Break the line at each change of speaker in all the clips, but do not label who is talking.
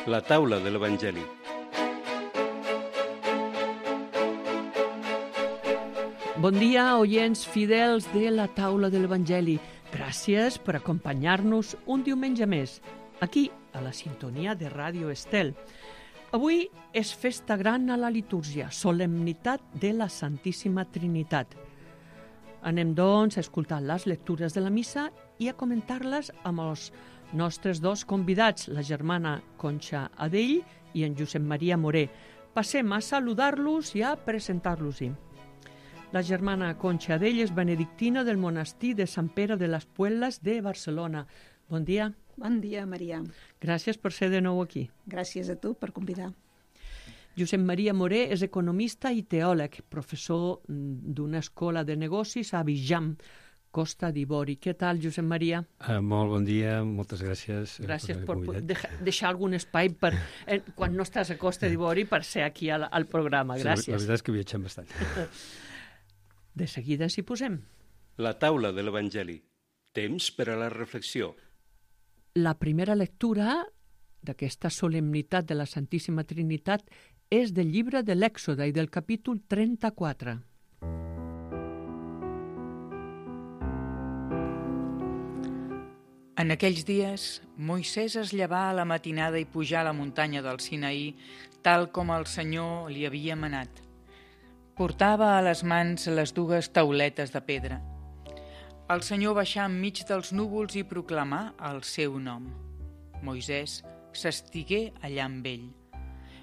La taula de l'Evangeli.
Bon dia, oients fidels de la taula de l'Evangeli. Gràcies per acompanyar-nos un diumenge més, aquí, a la sintonia de Ràdio Estel. Avui és festa gran a la litúrgia, solemnitat de la Santíssima Trinitat. Anem, doncs, a escoltar les lectures de la missa i a comentar-les amb els nostres dos convidats, la germana Conxa Adell i en Josep Maria Moré. Passem a saludar-los i a presentar-los-hi. La germana Conxa Adell és benedictina del monestir de Sant Pere de les Puelles de Barcelona. Bon dia.
Bon dia, Maria.
Gràcies per ser de nou aquí.
Gràcies a tu per convidar.
Josep Maria Moré és economista i teòleg, professor d'una escola de negocis a Abidjan, Costa d'Ivori. Què tal, Josep Maria?
Molt bon dia, moltes gràcies.
Gràcies per deixar algun espai per, quan no estàs a Costa d'Ivori per ser aquí al programa. Gràcies.
Sí, la veritat és que viatgem bastant.
De seguida s'hi posem.
La taula de l'Evangeli. Temps per a la reflexió.
La primera lectura d'aquesta solemnitat de la Santíssima Trinitat és del llibre de l'Èxode i del capítol 34.
En aquells dies, Moisès es llevà a la matinada i pujà a la muntanya del Sinaí, tal com el Senyor li havia manat. Portava a les mans les dues tauletes de pedra. El Senyor baixà enmig dels núvols i proclamà el seu nom. Moisès s'estigué allà amb ell.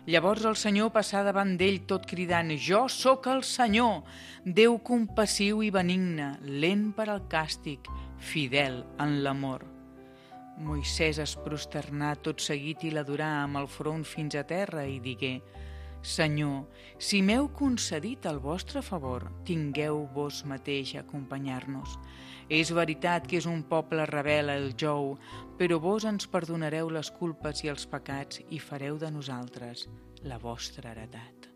Llavors el Senyor passà davant d'ell tot cridant: «Jo sóc el Senyor, Déu compassiu i benigne, lent per al càstig, fidel en l'amor». Moisès es prosternà tot seguit i l'adorà amb el front fins a terra i digué: «Senyor, si m'heu concedit el vostre favor, tingueu vos mateix a acompanyar-nos. És veritat que és un poble rebel el jou, però vos ens perdonareu les culpes i els pecats i fareu de nosaltres la vostra heretat».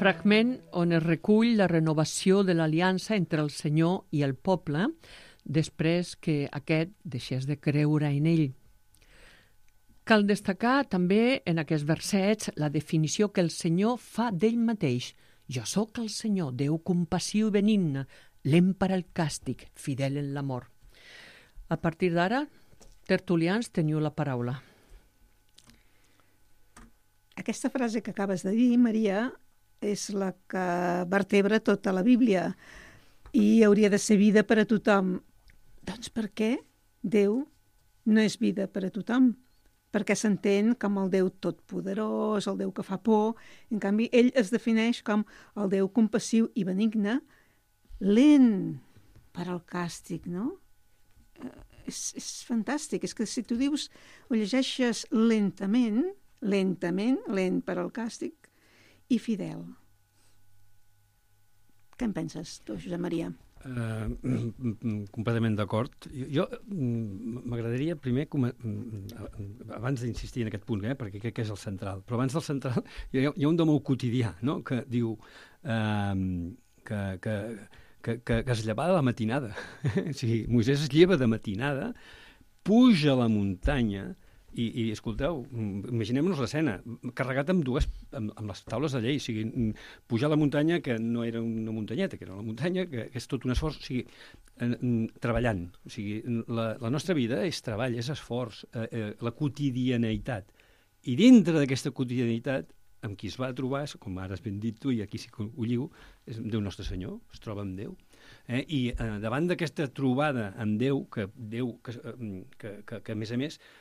Fragment on es recull la renovació de l'aliança entre el Senyor i el poble després que aquest deixés de creure en ell. Cal destacar també en aquests versets la definició que el Senyor fa d'ell mateix. «Jo sóc el Senyor, Déu compassiu i benigne, lent per al càstig, fidel en l'amor». A partir d'ara, tertulians, teniu la paraula.
Aquesta frase que acabes de dir, Maria, és la que vertebra tota la Bíblia i hauria de ser vida per a tothom. Doncs per què Déu no és vida per a tothom? Perquè s'entén com el Déu totpoderós, el Déu que fa por. En canvi, ell es defineix com el Déu compassiu i benigne, lent per al càstig, no? És fantàstic. És que si tu dius, ho llegeixes lentament, lent per al càstig, i fidel. Què en penses, tu, Josep Maria?
Completament d'acord. Jo m'agradaria primer, abans d'insistir en aquest punt, perquè crec que és el central, però abans del central hi ha un domó quotidià, no?, que diu que es lleva de la matinada. O sigui, Moisès es lleva de matinada, puja a la muntanya i escolteu, imaginem-nos l'escena, carregat amb les taules de llei, o sigui, pujar a la muntanya, que no era una muntanyeta, que era la muntanya, que és tot un esforç, o sigui, treballant. O sigui, la nostra vida és treball, és esforç, la quotidianeïtat. I dintre d'aquesta quotidianeïtat, amb qui es va trobar, com ara has ben dit tu, i aquí sí que ho lligo, és Déu Nostre Senyor, es troba amb Déu. I davant d'aquesta trobada amb Déu, que a més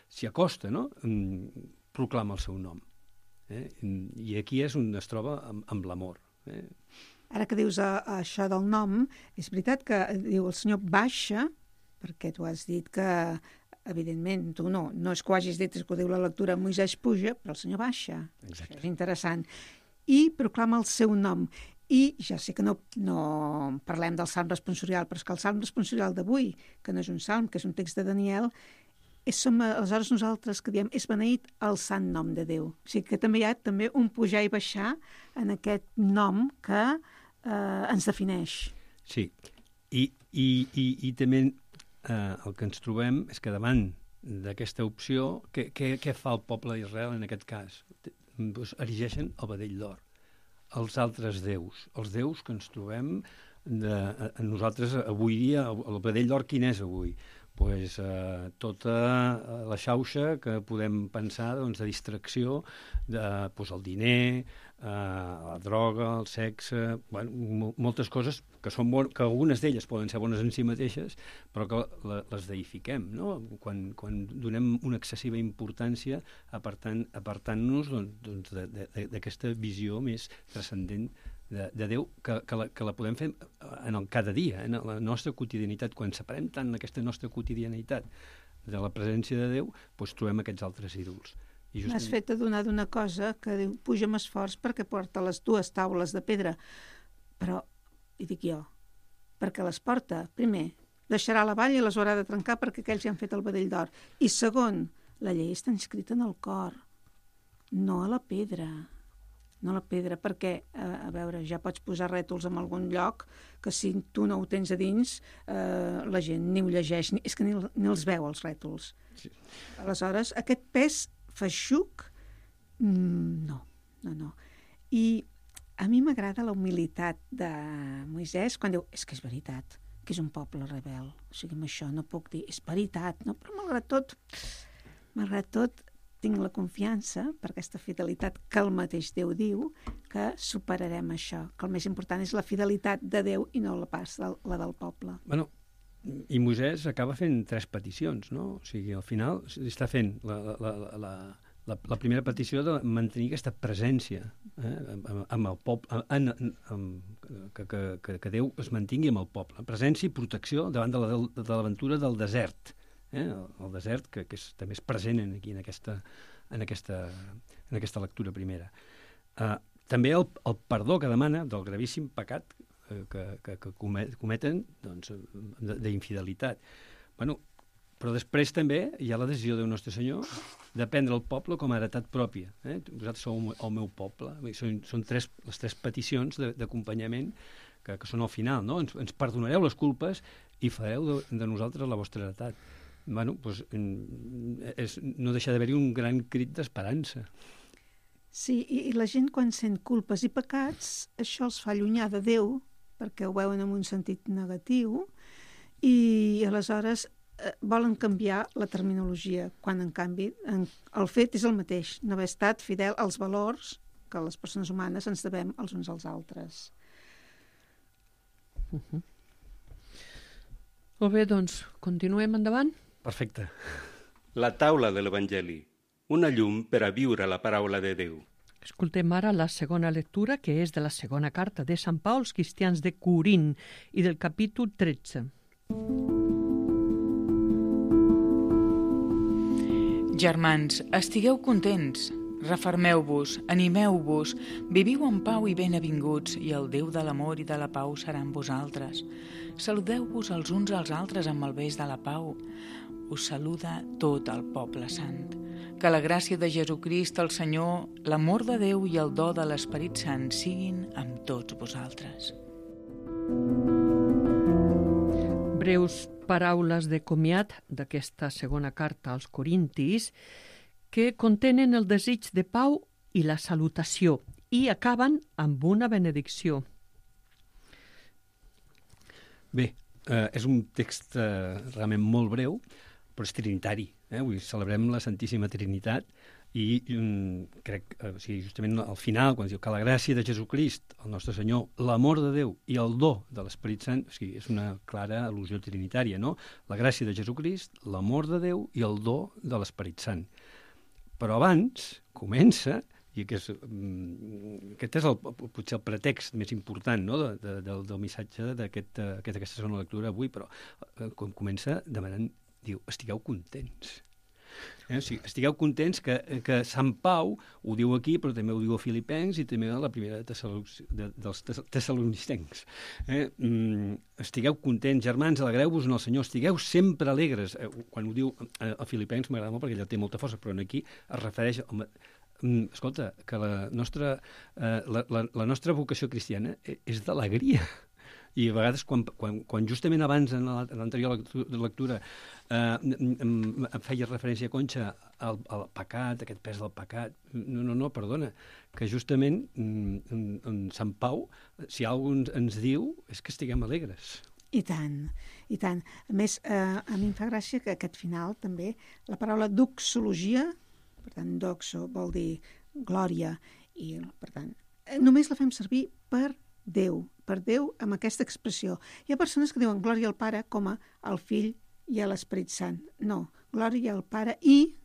s'hi acosta, no?, proclama el seu nom. I aquí és on es troba amb l'amor.
Ara que dius això del nom, és veritat que diu el Senyor baixa, perquè tu has dit que, evidentment, tu no és que ho hagis dit, és que ho diu la lectura, Moisès puja, però el Senyor baixa.
Exacte.
Això és interessant. I proclama el seu nom. I ja sé que no parlem del salm responsorial, però és que el salm responsorial d'avui, que no és un salm, que és un text de Daniel, som aleshores nosaltres que diem és beneït el sant nom de Déu. O sigui que també hi ha un pujar i baixar en aquest nom que ens defineix.
Sí, i també el que ens trobem és que davant d'aquesta opció, què fa el poble d'Israel en aquest cas? Doncs erigeixen el vedell d'or. Els altres déus, els déus que ens trobem nosaltres avui dia, el vedell d'or quin és avui? Pues, tota la xauxa que podem pensar doncs, de distracció, pues, el diner, la droga, el sexe, bueno, moltes coses que algunes d'elles poden ser bones en si mateixes, però que les deifiquem, no? Quan donem una excessiva importància apartant-nos doncs, d'aquesta visió més transcendent de Déu, que la podem fer cada dia, en la nostra quotidianitat. Quan separem tant aquesta nostra quotidianitat de la presència de Déu, doncs trobem aquests altres ídols.
M'has fet adonar d'una cosa que diu, puja amb esforç perquè porta les 2 taules de pedra, però, hi dic jo, perquè les porta, primer, deixarà la vall i les haurà de trencar perquè aquells ja han fet el vedell d'or, i segon, la llei està inscrita en el cor, no a la pedra. No la pedra, perquè, a veure, ja pots posar rètols en algun lloc que si tu no ho tens a dins, la gent ni ho llegeix, és que ni els veu, els rètols. Sí. Aleshores, aquest pes feixuc, no. I a mi m'agrada la humilitat de Moisès quan diu, és que és veritat, que és un poble rebel, o sigui, amb això no puc dir, és veritat, no? Però malgrat tot, tinc la confiança, per aquesta fidelitat que el mateix Déu diu, que superarem això, que el més important és la fidelitat de Déu i no la del poble.
Bueno, i Moisès acaba fent 3 peticions, no? O sigui, al final està fent la primera petició de mantenir aquesta presència amb el poble, que Déu es mantingui amb el poble. Presència i protecció davant de l'aventura del desert. El desert, que també és present aquí en aquesta lectura primera. També el perdó que demana del gravíssim pecat que cometen doncs, d'infidelitat. Bueno, però després també hi ha la decisió del nostre Senyor de prendre el poble com a heretat pròpia. Vosaltres sou el meu poble. Són les 3 peticions d'acompanyament que són al final, no? Ens perdonareu les culpes i fareu de nosaltres la vostra heretat. Bueno, doncs no deixa d'haver-hi un gran crit d'esperança.
Sí, i la gent quan sent culpes i pecats, això els fa allunyar de Déu, perquè ho veuen en un sentit negatiu, i aleshores volen canviar la terminologia, quan en canvi el fet és el mateix, no haver estat fidel als valors que les persones humanes ens devem els uns als altres.
Molt bé, doncs, continuem endavant?
Perfecte.
La taula de l'Evangeli, una llum per a viure la paraula de Déu.
Escoltem ara la segona lectura, que és de la segona carta de Sant Pau als cristians de Corint i del capítol 13.
Germans, estigueu contents, refermeu-vos, animeu-vos, viviu en pau i benavinguts, i el Déu de l'amor i de la pau serà amb vosaltres. Saludeu-vos els uns als altres amb el bes de la pau. Us saluda tot el poble sant. Que la gràcia de Jesucrist, el Senyor, l'amor de Déu i el do de l'Esperit Sant siguin amb tots vosaltres.
Breus paraules de comiat d'aquesta segona carta als Corintis que contenen el desig de pau i la salutació i acaben amb una benedicció.
Bé, és un text realment molt breu, però és trinitari. Avui celebrem la Santíssima Trinitat i crec, justament al final, quan diu que la gràcia de Jesucrist, el nostre Senyor, l'amor de Déu i el do de l'Esperit Sant, és una clara al·lusió trinitària, no? La gràcia de Jesucrist, l'amor de Déu i el do de l'Esperit Sant. Però abans comença, i aquest és potser el pretext més important, no? del missatge d'aquesta segona lectura avui, però comença demanant, diu, estigueu contents. Estigueu contents que Sant Pau ho diu aquí, però també ho diu a Filipencs i també a la primera dels tessalonicencs. Estigueu contents, germans, alegreu-vos en el Senyor, estigueu sempre alegres. Quan ho diu a Filipencs m'agrada molt perquè ella té molta força, però aquí es refereix escolta, que la nostra vocació cristiana és d'alegria. I a vegades, quan justament abans, en l'anterior lectura, em feia referència a Conxa al pecat, aquest pes del pecat. No, perdona, que justament en Sant Pau, si algú ens diu, és que estiguem alegres.
I tant, i tant. A més, a mi em fa gràcia que aquest final també, la paraula doxologia, per tant, doxo vol dir glòria, i per tant, només la fem servir per Déu amb aquesta expressió. Hi ha persones que diuen glòria al Pare com al Fill i a l'Esperit Sant. No, glòria al Pare i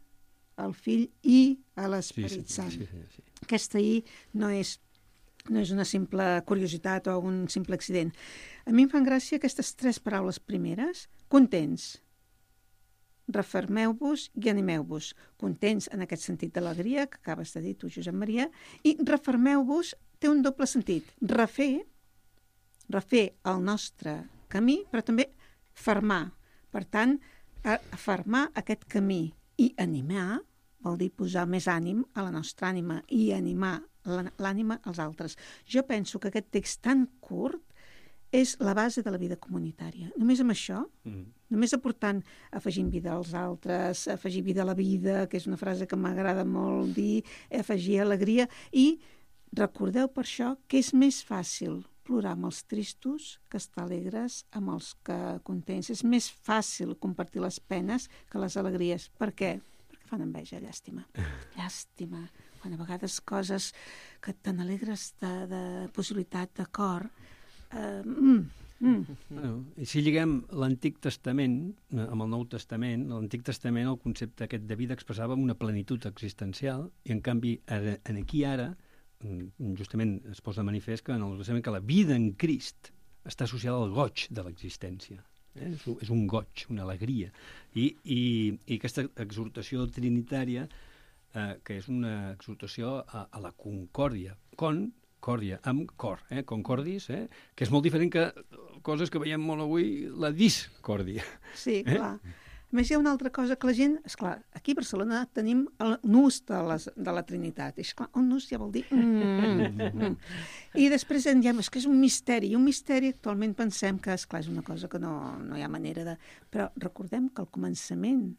al Fill i a l'Esperit Sant. Sí. Aquesta I no és una simple curiositat o un simple accident. A mi em fan gràcia aquestes 3 paraules primeres. Contents, refermeu-vos i animeu-vos. Contents en aquest sentit d'alegria que acabes de dir tu, Josep Maria, i refermeu-vos té un doble sentit. Refer el nostre camí, però també fermar. Per tant, fermar aquest camí i animar vol dir posar més ànim a la nostra ànima i animar l'ànima als altres. Jo penso que aquest text tan curt és la base de la vida comunitària. Només amb això, només aportant, afegint vida als altres, afegir vida a la vida, que és una frase que m'agrada molt dir, afegir alegria, i recordeu per això que és més fàcil plorar amb els tristos que estar alegres amb els que contents. És més fàcil compartir les penes que les alegries. Per què? Perquè fan enveja, llàstima. Llàstima. Quan a vegades coses que te n'alegres de possibilitat de cor.
I si lliguem l'Antic Testament amb el Nou Testament, l'Antic Testament el concepte aquest de vida expressava una plenitud existencial, i en canvi aquí ara justament es posa de manifest que en el Testament que la vida en Crist està associada al goig de l'existència. És un goig, una alegria. I aquesta exhortació trinitària, que és una exhortació a la concòrdia, concòrdia, amb cor, concordis, que és molt diferent que coses que veiem molt avui, la discòrdia. Sí,
clar. A més, hi ha una altra cosa que la gent... Esclar, aquí a Barcelona tenim el nus de la Trinitat. I esclar, un nus ja vol dir... I després en diem, és que és un misteri. I un misteri actualment pensem que, esclar, és una cosa que no hi ha manera de... Però recordem que al començament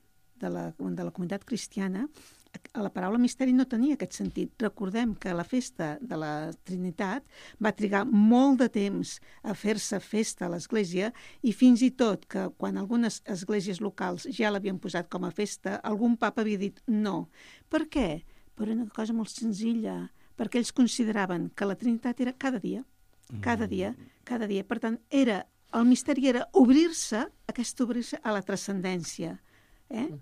de la comunitat cristiana la paraula misteri no tenia aquest sentit. Recordem que la festa de la Trinitat va trigar molt de temps a fer-se festa a l'Església, i fins i tot que quan algunes esglésies locals ja l'havien posat com a festa, algun papa havia dit no. Per què? Per una cosa molt senzilla, perquè ells consideraven que la Trinitat era cada dia. Per tant, el misteri era obrir-se a la transcendència.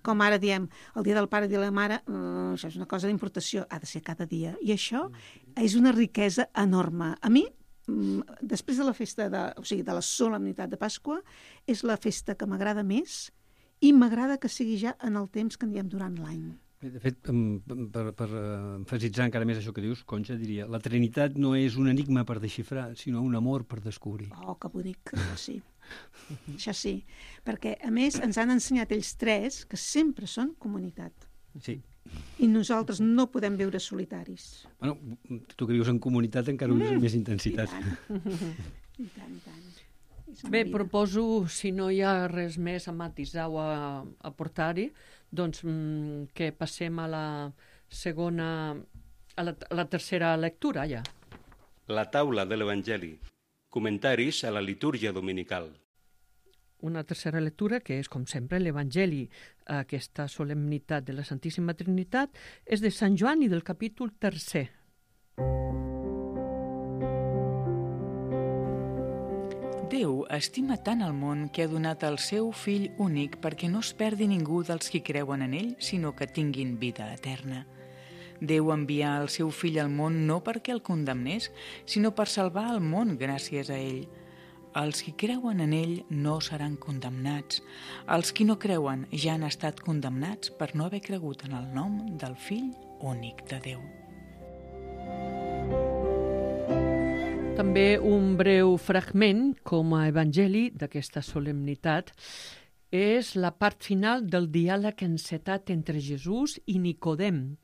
Com ara diem, el dia del pare i de la mare, això és una cosa d'importació, ha de ser cada dia. I això és una riquesa enorme. A mi, després de la festa, de la solemnitat de Pasqua, és la festa que m'agrada més, i m'agrada que sigui ja en el temps que en diem durant l'any.
De fet, per emfasitzar encara més això que dius, Conxa diria, la Trinitat no és un enigma per desxifrar, sinó un amor per descobrir.
Oh, que bonic, sí. Això sí, perquè a més ens han ensenyat ells 3 que sempre són comunitat.
Sí.
I nosaltres no podem viure solitaris.
Bueno, tu que vius en comunitat encara ho dius amb més intensitat.
I tant.
Bé, proposo, si no hi ha res més a matisar o a aportar-hi, doncs que passem a la segona, a la tercera lectura, ja.
La taula de l'Evangeli. Comentaris a la litúrgia dominical.
Una tercera lectura, que és, com sempre, l'Evangeli, aquesta solemnitat de la Santíssima Trinitat, és de Sant Joan i del capítol 3.
Déu estima tant el món que ha donat el seu fill únic perquè no es perdi ningú dels qui creuen en ell, sinó que tinguin vida eterna. Déu envià el seu fill al món no perquè el condemnés, sinó per salvar el món gràcies a ell. Els qui creuen en ell no seran condemnats. Els qui no creuen ja han estat condemnats per no haver cregut en el nom del fill únic de Déu.
També un breu fragment, com a evangeli d'aquesta solemnitat, és la part final del diàleg encetat entre Jesús i Nicodem,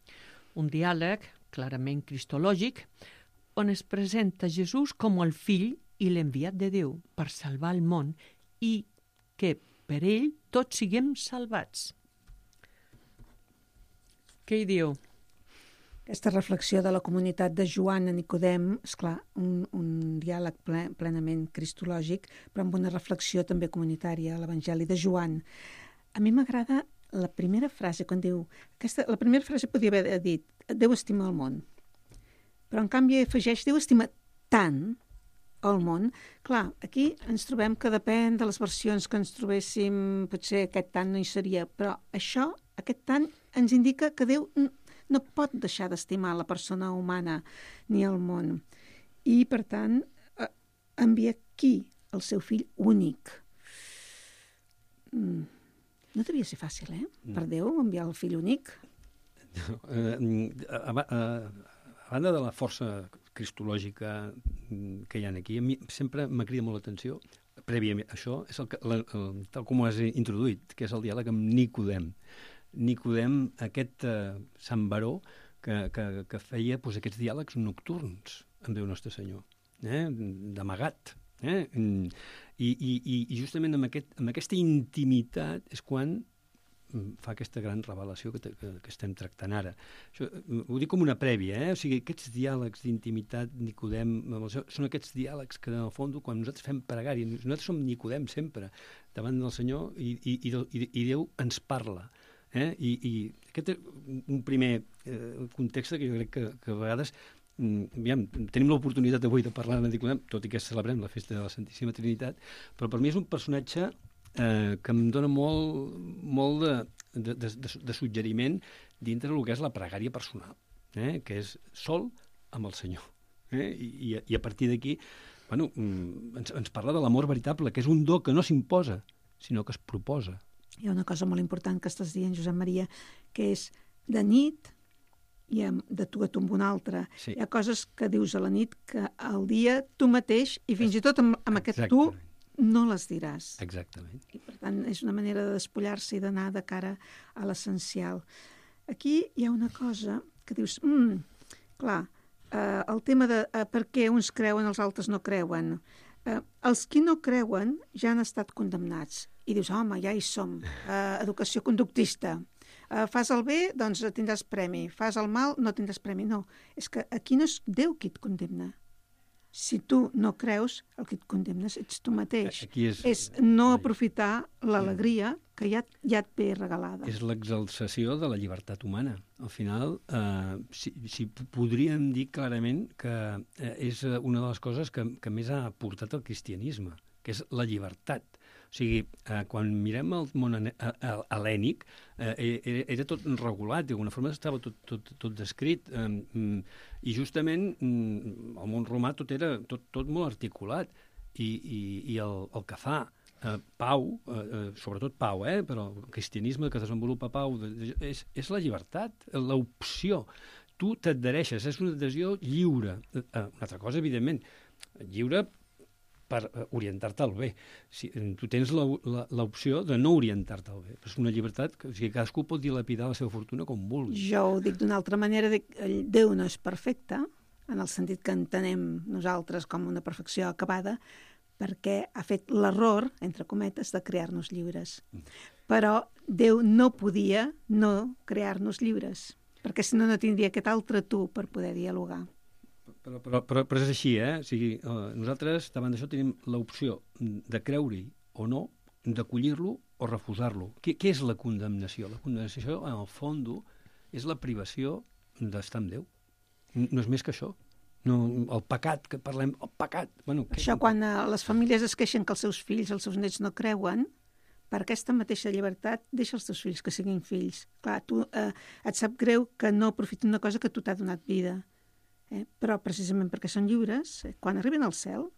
un diàleg clarament cristològic, on es presenta Jesús com el fill i l'enviat de Déu per salvar el món i que per ell tots siguem salvats. Què hi diu?
Aquesta reflexió de la comunitat de Joan a Nicodem, esclar, un diàleg plenament cristològic, però amb una reflexió també comunitària, l'Evangeli de Joan. A mi m'agrada la primera frase, quan diu... La primera frase podria haver dit Déu estima el món, però en canvi afegeix Déu estima tant el món. Clar, aquí ens trobem que depèn de les versions que ens trobéssim, potser aquest tant no hi seria, però això, aquest tant, ens indica que Déu no pot deixar d'estimar la persona humana ni el món. I, per tant, envia qui? El seu fill únic. No devia ser fàcil, per Déu, enviar el fill únic.
A banda de la força cristològica que hi ha aquí, a mi sempre m'ha cridat molt l'atenció, prèviament això, és tal com ho has introduït, que és el diàleg amb Nicodem. Nicodem, aquest sant baró que feia aquests diàlegs nocturns amb Déu Nostre Senyor, d'amagat. I justament amb aquesta intimitat és quan fa aquesta gran revelació que estem tractant ara. Això, ho dic com una prèvia, o sigui, aquests diàlegs d'intimitat, Nicodem, són aquests diàlegs que, en el fons, quan nosaltres fem pregària, nosaltres som Nicodem sempre, davant del Senyor, i Déu ens parla. I aquest és un primer context que jo crec que a vegades tenim l'oportunitat avui de parlar de Nicodem, tot i que celebrem la festa de la Santíssima Trinitat, però per mi és un personatge que em dona molt de suggeriment dintre del que és la pregària personal, que és sol amb el Senyor. I a partir d'aquí ens parla de l'amor veritable, que és un do que no s'imposa, sinó que es proposa.
Hi ha una cosa molt important que estàs dient, Josep Maria, que és de nit i de tu a tu amb un altre. Sí. Hi ha coses que dius a la nit que al dia tu mateix, i fins i tot amb aquest tu, no les diràs.
Exactament.
I per tant és una manera de despullar-se i d'anar de cara a l'essencial. Aquí hi ha una cosa que dius, clar, el tema de per què uns creuen, els altres no creuen. Els qui no creuen ja han estat condemnats. I dius, home, ja hi som, educació conductista. Fas el bé, doncs tindràs premi. Fas el mal, no tindràs premi. No, és que aquí no és Déu qui et condemna. Si tu no creus, el que et condemnes ets tu mateix. És no aprofitar l'alegria que ja et ve regalada.
És l'exaltació de la llibertat humana. Al final, si podríem dir clarament que és una de les coses que més ha portat el cristianisme, que és la llibertat. O sigui, quan mirem el món hel·lènic, era tot regulat, d'alguna forma estava tot descrit, i justament el món romà tot era tot molt articulat, i el que fa Pau, sobretot Pau, però el cristianisme que desenvolupa Pau és la llibertat, l'opció. Tu t'adhereixes, és una adhesió lliure. Una altra cosa, evidentment, lliure per orientar-te al bé. Tu tens l'opció de no orientar-te al bé. És una llibertat que cadascú pot dilapidar la seva fortuna com vulgui.
Jo ho dic d'una altra manera, Déu no és perfecte, en el sentit que entenem nosaltres com una perfecció acabada, perquè ha fet l'error, entre cometes, de crear-nos lliures. Però Déu no podia no crear-nos lliures, perquè si no tindria aquest altre tu per poder dialogar.
Però és així, O sigui, nosaltres davant d'això tenim l'opció de creure-hi o no, d'acollir-lo o refusar-lo. Què és la condemnació? La condemnació, en el fons, és la privació d'estar amb Déu. No és més que això. No, el pecat, que parlem, el pecat.
Això quan les famílies es queixen que els seus fills, els seus nets no creuen, per aquesta mateixa llibertat deixa els teus fills que siguin fills. Clar, tu et sap greu que no aprofitin una cosa que tu t'ha donat vida. Però precisament perquè són lliures, quan arriben al cel,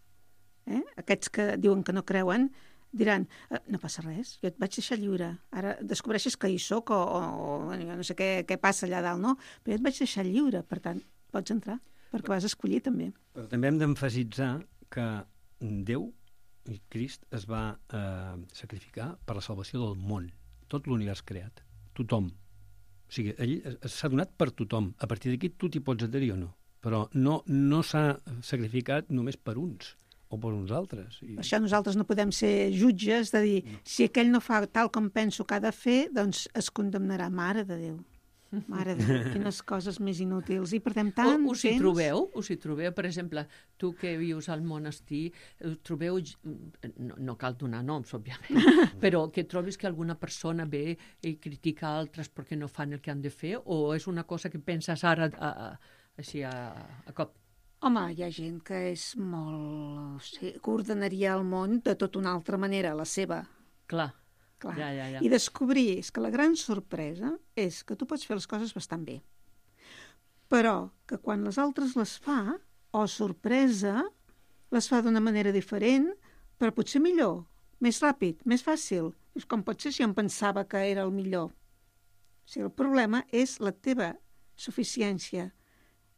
aquests que diuen que no creuen diran, no passa res, jo et vaig deixar lliure, ara descobreixes que hi soc o no sé què passa allà dalt, no? Però jo et vaig deixar lliure, per tant, pots entrar, perquè vas escollir també.
Però també hem d'emfasitzar que Déu, Crist, es va sacrificar per la salvació del món, tot l'univers creat, tothom. O sigui, ell s'ha donat per tothom. A partir d'aquí tu t'hi pots adherir o no. Però no s'ha sacrificat només per uns. o per uns altres.
Per això nosaltres no podem ser jutges de dir, si aquell no fa tal com penso que ha de fer, doncs es condemnarà. Mare de Déu. Mare de Déu, quines coses més inútils. I perdem tant
Us hi trobeu? Per exemple, tu que vius al monestir, trobeu, no cal donar noms, òbviament, però que trobis que alguna persona ve i critica altres perquè no fan el que han de fer, o és una cosa que penses ara així a cop?
Home, hi ha gent que és molt... Sí, que ordenaria el món de tota una altra manera, la seva.
Clar.
Ja. I descobrir és que la gran sorpresa és que tu pots fer les coses bastant bé, però que quan les altres les fa, o sorpresa, les fa d'una manera diferent, però potser millor, més ràpid, més fàcil. És com pot ser si em pensava que era el millor. O sigui, el problema és la teva suficiència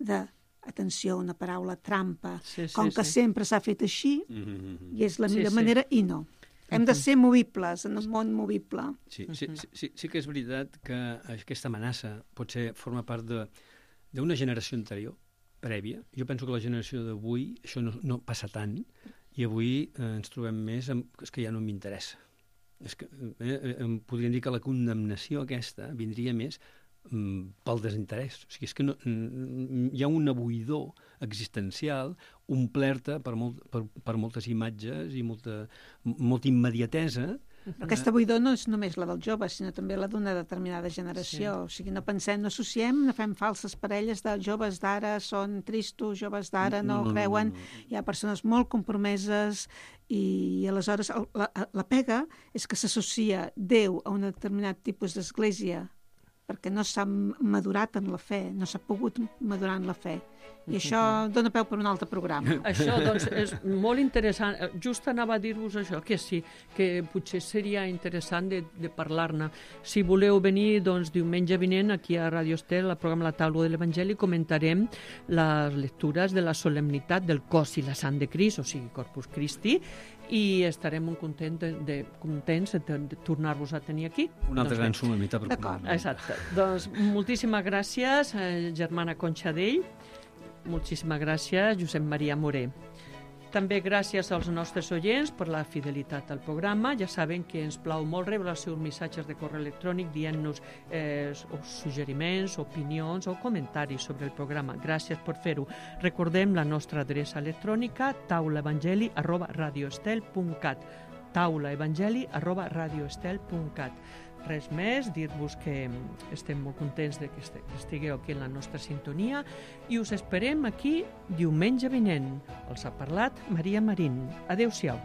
d'atenció, una paraula trampa, com que sempre s'ha fet així, i és la millor manera, i no. Hem de ser movibles en un món movible.
Sí que és veritat que aquesta amenaça potser forma part d'una generació anterior, prèvia. Jo penso que la generació d'avui això no passa tant, i avui ens trobem més amb és que ja no m'interessa. És que podríem dir que la condemnació aquesta vindria més pel desinterès. O sigui, és que hi ha una buidor existencial omplerta per moltes imatges i molta immediatesa.
Però aquesta buidor no és només la dels joves, sinó també la d'una determinada generació. Sí. O sigui, no associem, no fem falses parelles de joves d'ara són tristos, joves d'ara no creuen. Hi ha persones molt compromeses i aleshores la pega és que s'associa Déu a un determinat tipus d'església perquè no s'ha madurat en la fe, no s'ha pogut madurar en la fe. I això dona peu per un altre programa.
Això, doncs, és molt interessant. Just anava a dir-vos això, que sí, que potser seria interessant de parlar-ne. Si voleu venir, doncs, diumenge vinent, aquí a Radio Estel, al programa La Taula de l'Evangeli, comentarem les lectures de la solemnitat del cos i la sang de Crist, o sigui, Corpus Christi, i estarem molt contents de tornar-vos a tenir aquí.
Una altra gran solemnitat.
Exacte. Doncs moltíssimes gràcies, germana Conxadell. Moltíssimes gràcies, Josep Maria Moré. També gràcies als nostres oients per la fidelitat al programa. Ja saben que ens plau molt rebre els seus missatges de correu electrònic dient-nos suggeriments, opinions o comentaris sobre el programa. Gràcies per fer-ho. Recordem la nostra adreça electrònica taulaevangeli@radioestel.cat taulaevangeli@radioestel.cat. Res més, dir-vos que estem molt contents de que estigueu aquí en la nostra sintonia i us esperem aquí diumenge vinent. Els ha parlat Maria Marín. Adéu-siau.